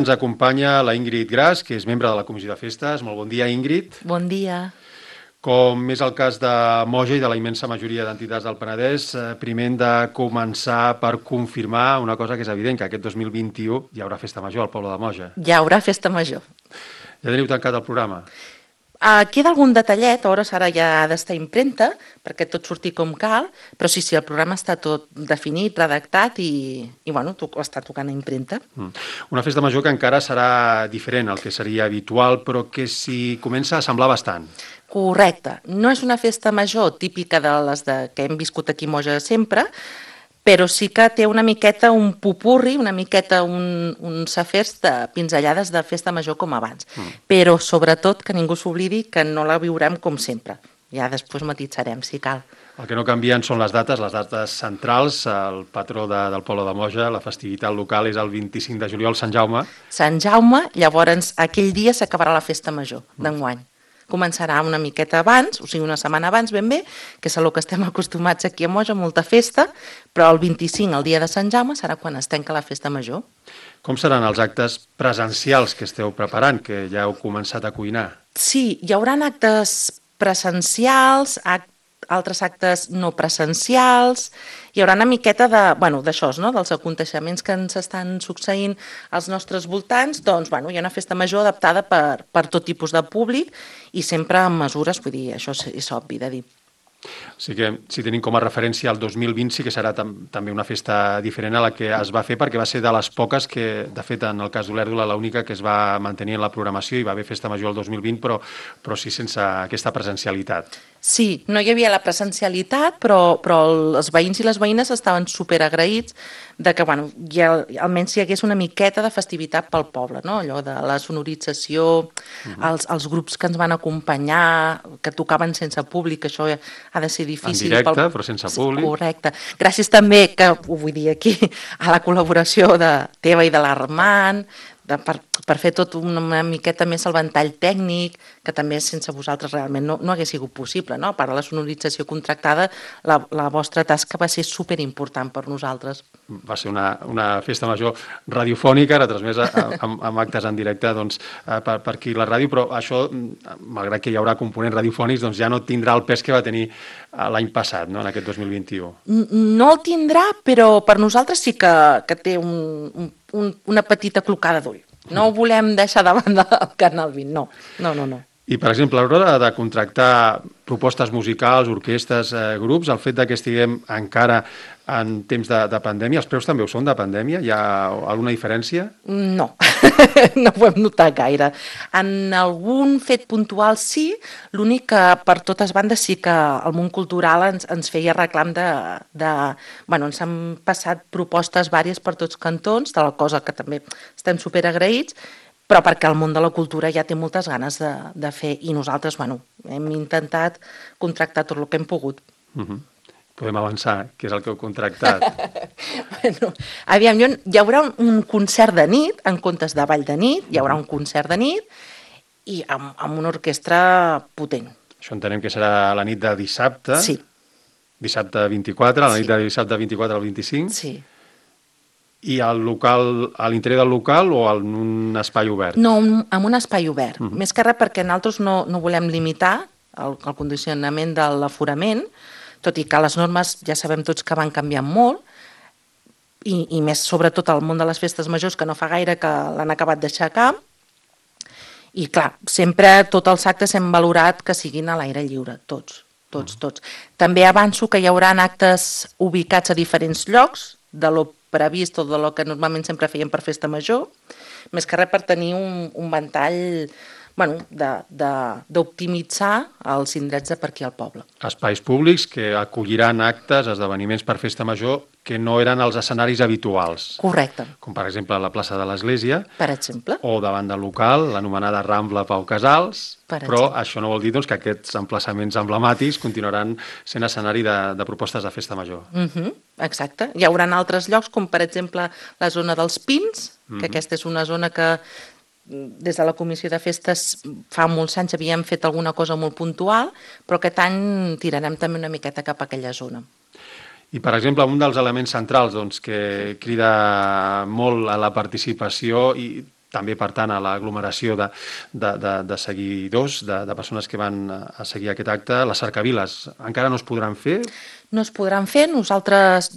Ens acompanya la Ingrid Gras, que és membre de la Comissió de Festes. Molt bon dia, Ingrid. Bon dia. Com és el cas de Moja i de la immensa majoria d'entitats del Penedès, primer hem de començar per confirmar una cosa que és evident, que aquest 2021 hi haurà festa major al poble de Moja. Hi haurà festa major. Ja teniu tancat el programa? Queda algun detallet, a hores ara ja ha d'estar impremta, perquè tot surti com cal, però sí, el programa està tot definit, redactat i bueno, està tocant a impremta. Una festa major que encara serà diferent al que seria habitual, però que s'hi comença a semblar bastant. Correcte. No és una festa major típica de les que hem viscut aquí a Moja sempre, però sí que té una miqueta un pupurri, una miqueta uns afers de pinzellades de festa major com abans. Però sobretot que ningú s'oblidi que no la viurem com sempre. Ja després matitzarem, si cal. El que no canvien són les dates centrals. El patró del poble de Moja, la festivitat local, és el 25 de juliol, Sant Jaume. Sant Jaume, llavors aquell dia s'acabarà la festa major d'enguany. Començarà una miqueta abans, o sigui, una setmana abans ben bé, que és el que estem acostumats aquí a Moja, molta festa, però el 25, el dia de Sant Jaume, serà quan es tanca la festa major. Com seran els actes presencials que esteu preparant, que ja heu començat a cuinar? Sí, hi haurà actes presencials, altres actes no presencials, hi haurà una miqueta d'això, no? Dels aconteixements que ens estan succeint als nostres voltants, doncs hi ha una festa major adaptada per tot tipus de públic i sempre amb mesures, vull dir, això és obvi de dir. O sigui que, si tenim com a referència el 2020, sí que serà també una festa diferent a la que es va fer, perquè va ser de les poques que, de fet, en el cas d'Olèrdola, l'única que es va mantenir en la programació, i va haver festa major el 2020, però sí sense aquesta presencialitat. Sí, no hi havia la presencialitat, però els veïns i les veïnes estaven superagraïts de que almenys hi hagués una miqueta de festivitat pel poble, no? Allò de la sonorització, els grups que ens van acompanyar, que tocaven sense públic, això ha de ser difícil. En directe, però sense públic. Correcte. Gràcies també, que ho vull dir aquí, a la col·laboració teva i de l'Armand, per fer tot una miqueta més el ventall tècnic, que també sense vosaltres realment no hagués sigut possible, no? A part de la sonorització contractada, la vostra tasca va ser superimportant per nosaltres. Va ser una festa major radiofònica, retransmesa amb actes en directe per aquí la ràdio, però això, malgrat que hi haurà components radiofònics, doncs ja no tindrà el pes que va tenir l'any passat, no? En aquest 2021. No el tindrà, però per nosaltres sí que té una petita clocada d'ull. No ho volem deixar de banda del Canal 20, no. I, per exemple, a l'hora de contractar propostes musicals, orquestres, grups, el fet que estiguem encara en temps de pandèmia, els preus també ho són de pandèmia? Hi ha alguna diferència? No, no ho hem notat gaire. En algun fet puntual sí, l'únic que per totes bandes sí que el món cultural ens feia reclam ens han passat propostes vàries per tots cantons, de la cosa que també estem superagraïts, però perquè el món de la cultura ja té moltes ganes de fer i nosaltres hem intentat contractar tot el que hem pogut. Podem avançar, què és el que heu contractat? Aviam, hi haurà un concert de nit, en comptes de ball de nit, hi haurà un concert de nit i amb una orquestra potent. Això entenem que serà la nit de dissabte? Sí. Dissabte 24, la nit de dissabte 24 al 25? Sí. I al local, a l'interior del local o en un espai obert? No, en un espai obert. Més que res perquè nosaltres no volem limitar el condicionament de l'aforament, tot i que les normes ja sabem tots que van canviant molt, i més sobretot al món de les festes majors, que no fa gaire que l'han acabat d'aixecar. I clar, sempre tots els actes hem valorat que siguin a l'aire lliure, tots. També avanço que hi haurà actes ubicats a diferents llocs, de lo previst o de lo que normalment sempre fèiem per festa major, més que res per tenir un ventall d'optimitzar els indrets de per aquí al poble. Espais públics que acolliran actes, esdeveniments per festa major que no eren els escenaris habituals. Correcte. Com per exemple la plaça de l'Església. Per exemple. O davant del local, l'anomenada Rambla Pau Casals. Però això no vol dir que aquests emplaçaments emblemàtics continuaran sent escenari de propostes de festa major. Exacte. Hi haurà altres llocs, com per exemple la zona dels Pins, que aquesta és una zona que des de la Comissió de Festes fa molts anys havíem fet alguna cosa molt puntual, però aquest any tirarem també una miqueta cap a aquella zona. I, per exemple, un dels elements centrals que crida molt a la participació i també per tant a l'aglomeració de seguidors, de persones que van a seguir aquest acte. Les cercaviles encara no es podran fer? No es podran fer. Nosaltres,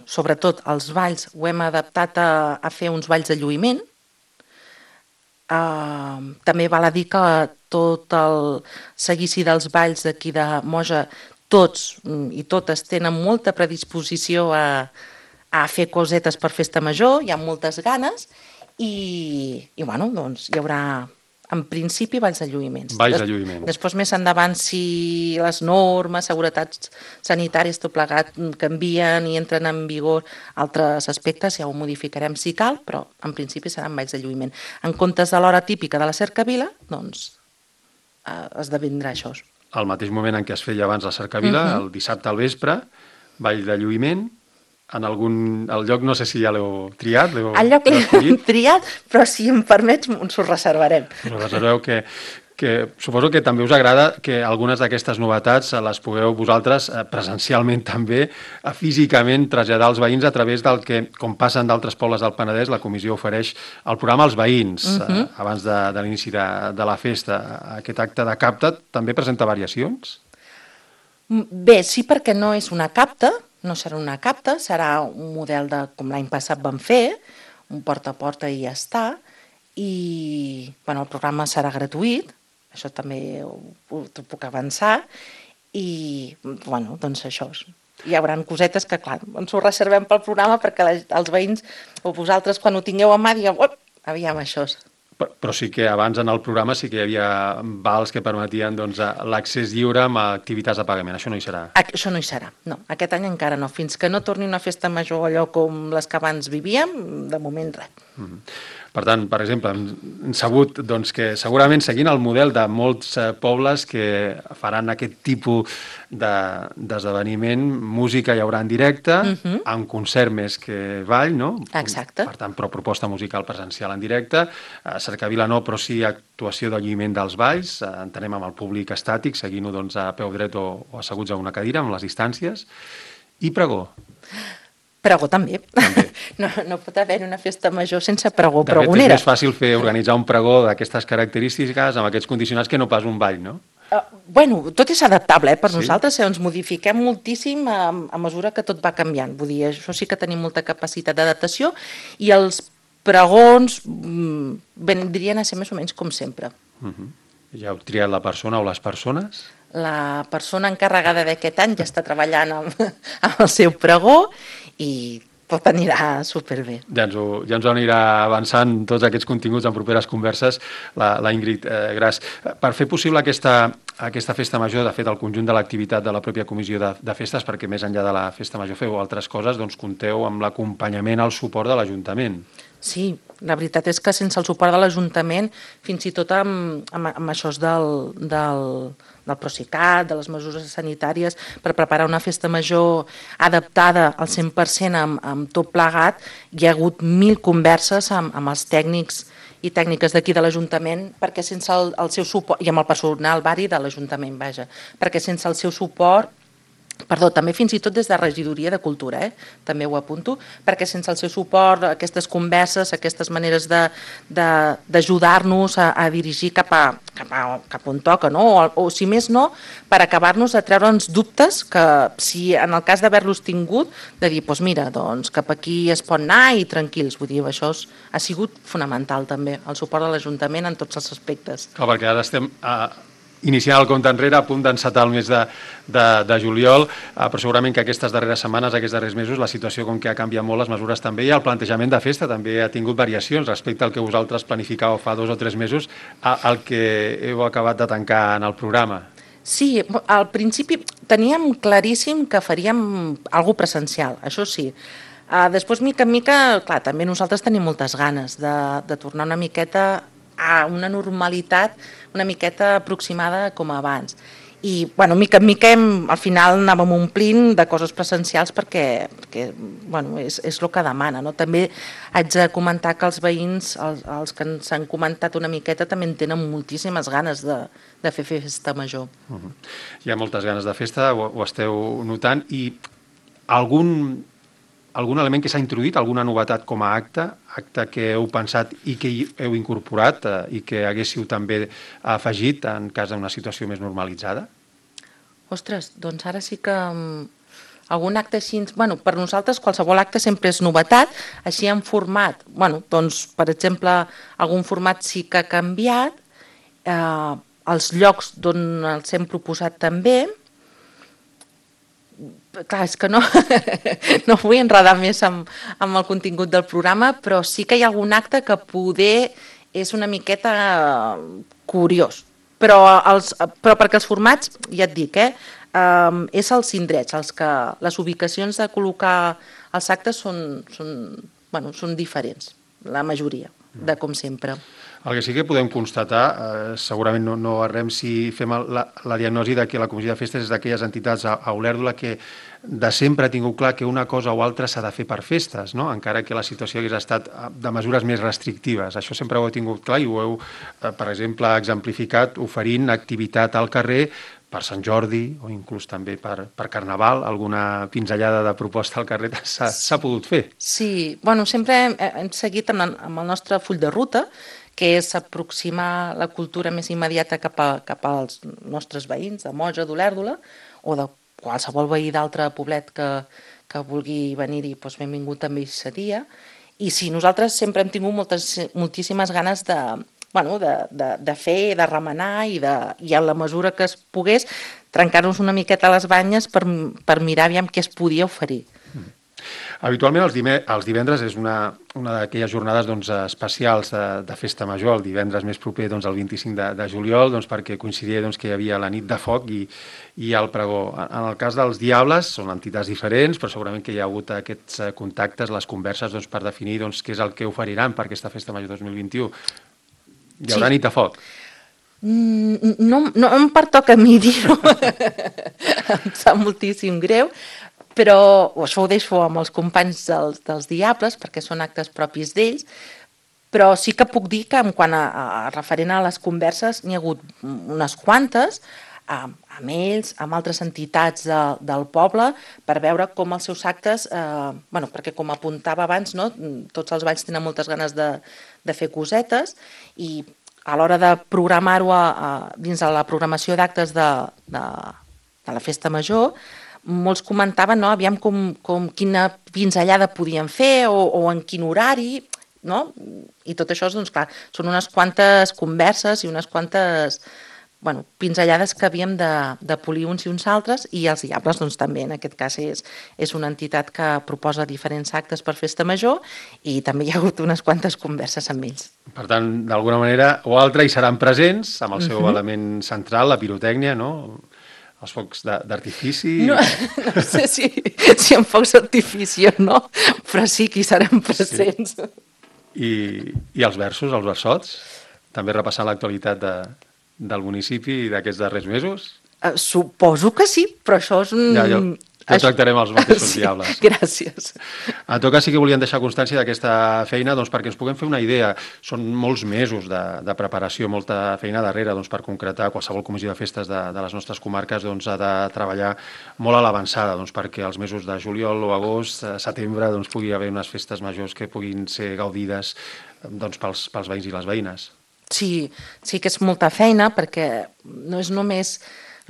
sobretot els balls, ho hem adaptat a fer uns balls de lluïment. També val a dir que tot el seguici dels balls d'aquí de Moja, tots i totes tenen molta predisposició a fer cosetes per festa major, hi ha moltes ganes i hi haurà en principi balls de lluïments. Balls de lluïment. Després més endavant, si les normes, seguretats sanitàries, tot plegat, canvien i entren en vigor altres aspectes, ja ho modificarem si cal, però en principi seran balls de lluïment. En comptes de l'hora típica de la cercavila, doncs esdevindrà això. Al mateix moment en què es feia abans la cercavila, el dissabte al vespre, ball de lluïment, el lloc no sé si ja l'heu triat. El lloc l'hem triat, però si em permets ens ho reservarem. Reserveu que suposo que també us agrada que algunes d'aquestes novetats les pugueu vosaltres presencialment també, físicament traslladar als veïns a través del que, com passen d'altres pobles del Penedès, la comissió ofereix el programa als veïns abans de l'inici de la festa. Aquest acte de capta també presenta variacions? Bé, sí, perquè no és una capta, no serà una capta, serà un model com l'any passat vam fer, un porta a porta i ja està, i el programa serà gratuït, això també t'ho puc avançar, i doncs això. Hi haurà cosetes que, clar, ens ho reservem pel programa perquè els veïns o vosaltres quan ho tingueu a mà digueu, aviam això. Però sí que abans en el programa sí que hi havia vals que permetien l'accés lliure amb activitats de pagament. Això no hi serà? Això no hi serà, no. Aquest any encara no. Fins que no torni una festa major allò com les que abans vivíem, de moment res. Per tant, per exemple, hem sabut que segurament seguint el model de molts pobles que faran aquest tipus d'esdeveniment, música hi haurà en directe, amb concert més que ball, no? Exacte. Per tant, però proposta musical presencial en directe. Cercavila no, però sí actuació de lluïment dels balls. Entenem amb el públic estàtic, seguint-ho a peu dret o asseguts a una cadira, amb les distàncies. I pregó. Pregó també. No pot haver una festa major sense pregó pregonera. De fet, és més fàcil organitzar un pregó d'aquestes característiques amb aquests condicionants que no pas un ball, no? Tot és adaptable, per nosaltres ens modifiquem moltíssim a mesura que tot va canviant. Vull dir, això sí que tenim molta capacitat d'adaptació i els pregons vendrien a ser més o menys com sempre. Ja heu triat la persona o les persones? La persona encarregada d'aquest any ja està treballant amb el seu pregó i tot anirà superbé. Ja ens ho anirà avançant tots aquests continguts en properes converses, la Ingrid Gras. Per fer possible aquesta festa major, de fet, el conjunt de l'activitat de la pròpia comissió de festes, perquè més enllà de la festa major feu altres coses, doncs compteu amb l'acompanyament, el suport de l'Ajuntament. Sí, la veritat és que sense el suport de l'Ajuntament, fins i tot amb això del Procicat, de les mesures sanitàries, per preparar una festa major adaptada al 100% amb tot plegat, hi ha hagut 1000 converses amb els tècnics i tècniques d'aquí de l'Ajuntament, perquè sense el seu suport, i amb el personal vari de l'Ajuntament, perquè sense el seu suport, també fins i tot des de Regidoria de Cultura, també ho apunto, perquè sense el seu suport, aquestes converses, aquestes maneres d'ajudar-nos a dirigir cap on toca, o si més no, per acabar-nos de treure'ns dubtes que si en el cas d'haver-los tingut, de dir, doncs mira, cap aquí es pot anar i tranquils, vull dir, això ha sigut fonamental també, el suport de l'Ajuntament en tots els aspectes. Clar, perquè ara estem iniciant el compte enrere, a punt d'encetar el mes de juliol, però segurament que aquestes darreres setmanes, aquests darrers mesos, la situació com que ha canviat molt, les mesures també, i el plantejament de festa també ha tingut variacions respecte al que vosaltres planificàveu fa 2 o 3 mesos, al que heu acabat de tancar en el programa. Sí, al principi teníem claríssim que faríem alguna cosa presencial, això sí. Després, mica en mica, clar, també nosaltres tenim moltes ganes de tornar una miqueta a una normalitat una miqueta aproximada com abans. I, mica en mica, al final anàvem omplint de coses presencials perquè és el que demana. També haig de comentar que els veïns, els que ens han comentat una miqueta, també en tenen moltíssimes ganes de fer festa major. Hi ha moltes ganes de festa, ho esteu notant, i algun algun element que s'ha introduït, alguna novetat com a acte que heu pensat i que heu incorporat i que haguéssiu també afegit en cas d'una situació més normalitzada? Ostres, doncs ara sí que algun acte així... Bueno, per nosaltres qualsevol acte sempre és novetat, així en format. Bueno, doncs, per exemple, algun format sí que ha canviat, els llocs d'on els hem proposat també. Clar, és que no, no vull enredar més amb el contingut del programa, però sí que hi ha algun acte que poder és una miqueta curiós. Però perquè els formats, ja et dic, és els indrets, les ubicacions de col·locar els actes són diferents, la majoria, de com sempre. El que sí que podem constatar, segurament no errem si fem la diagnosi de que la Comissió de Festes és d'aquelles entitats a Olèrdola que de sempre ha tingut clar que una cosa o altra s'ha de fer per festes, no? Encara que la situació hagués estat de mesures més restrictives. Això sempre ho heu tingut clar i ho heu, per exemple, exemplificat oferint activitat al carrer per Sant Jordi o inclús també per Carnaval, alguna pinzellada de proposta al carrer s'ha pogut fer. Sí, bueno, sempre hem seguit amb el nostre full de ruta, que és aproximar la cultura més immediata cap als nostres veïns, de Moja, d'Olèrdola, o de qualsevol veí d'altre poblet que vulgui venir-hi, doncs benvingut també hi seria. I sí, nosaltres sempre hem tingut moltíssimes ganes de fer, de remenar i a la mesura que es pogués trencar-nos una miqueta les banyes per mirar aviam què es podia oferir. Habitualment els divendres és una d'aquelles jornades especials de festa major, el divendres més proper el 25 de juliol, perquè coincidia que hi havia la nit de foc i el pregó. En el cas dels Diables són entitats diferents, però segurament que hi ha hagut aquests contactes, les converses per definir què és el que oferiran per aquesta festa major 2021. Hi haurà nit de foc? No em pertoca a mi dir-ho, em sap moltíssim greu, però això ho deixo amb els companys dels Diables, perquè són actes propis d'ells, però sí que puc dir que quan referent a les converses n'hi ha hagut unes quantes, amb ells, amb altres entitats del poble, per veure com els seus actes, perquè com apuntava abans, tots els balls tenen moltes ganes de fer cosetes, i a l'hora de programar-ho dins de la programació d'actes de la festa major, molts comentaven aviam quina pinzellada podien fer o en quin horari, i tot això, clar, són unes quantes converses i unes quantes pinzellades que havíem de polir uns i uns altres, i els Diables també, en aquest cas, és una entitat que proposa diferents actes per festa major i també hi ha hagut unes quantes converses amb ells. Per tant, d'alguna manera o altra hi seran presents, amb el seu element central, la pirotècnia, no?, els focs d'artifici... No sé si amb focs d'artifici o no, però sí que hi seran presents. Sí. I els versos, els versots? També repassant l'actualitat del municipi d'aquests darrers mesos? Suposo que sí, però això és un... Ja tractarem els mateixos Diables. Gràcies. En tot cas, sí que volíem deixar constància d'aquesta feina perquè ens puguem fer una idea. Són molts mesos de preparació, molta feina darrere per concretar. Qualsevol comissió de festes de les nostres comarques ha de treballar molt a l'avançada perquè els mesos de juliol o agost, setembre, pugui haver unes festes majors que puguin ser gaudides pels veïns i les veïnes. Sí que és molta feina perquè no és només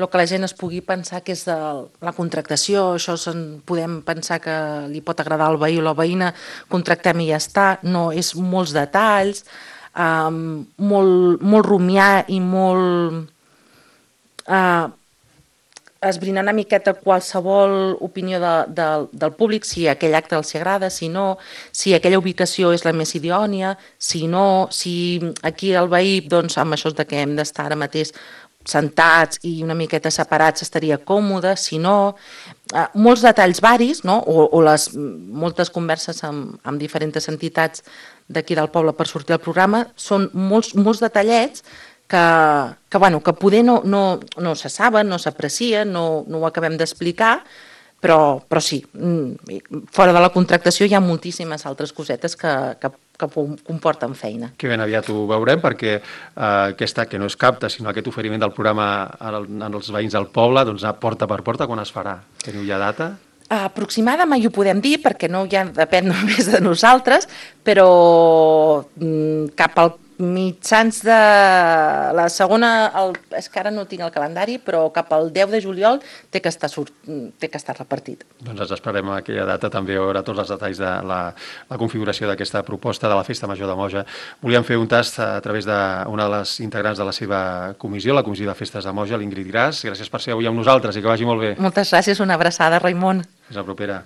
el que la gent es pugui pensar que és de la contractació, això podem pensar que li pot agradar al veí o la veïna, contractem i ja està. No, és molts detalls, molt rumiar i molt esbrinar una miqueta qualsevol opinió del públic, si aquell acte els agrada, si no, si aquella ubicació és la més idònia, si no, si aquí el veí, amb això que hem d'estar ara mateix sentats i una miqueta separats estaria còmode, si no... Molts detalls varis, o moltes converses amb diferents entitats d'aquí del poble per sortir al programa, són molts detallets que poder no se saben, no s'aprecien, no ho acabem d'explicar, però sí, fora de la contractació hi ha moltíssimes altres cosetes que comporten feina. Que ben aviat ho veurem, perquè aquesta, que no és capta, sinó aquest oferiment del programa als veïns del poble, porta per porta, quan es farà? Teniu ja data? Aproximada mai ho podem dir, perquè no ja depèn només de nosaltres, però cap al mitjans de la segona, és que ara no tinc el calendari, però cap al 10 de juliol té que estar repartit. Doncs ens esperem a aquella data també a veure tots els detalls de la configuració d'aquesta proposta de la Festa Major de Moja. Volíem fer un tast a través d'una de les integrants de la seva comissió, la Comissió de Festes de Moja, l'Ingrid Gras. Gràcies per ser avui amb nosaltres i que vagi molt bé. Moltes gràcies, una abraçada, Raimon. Fins la propera.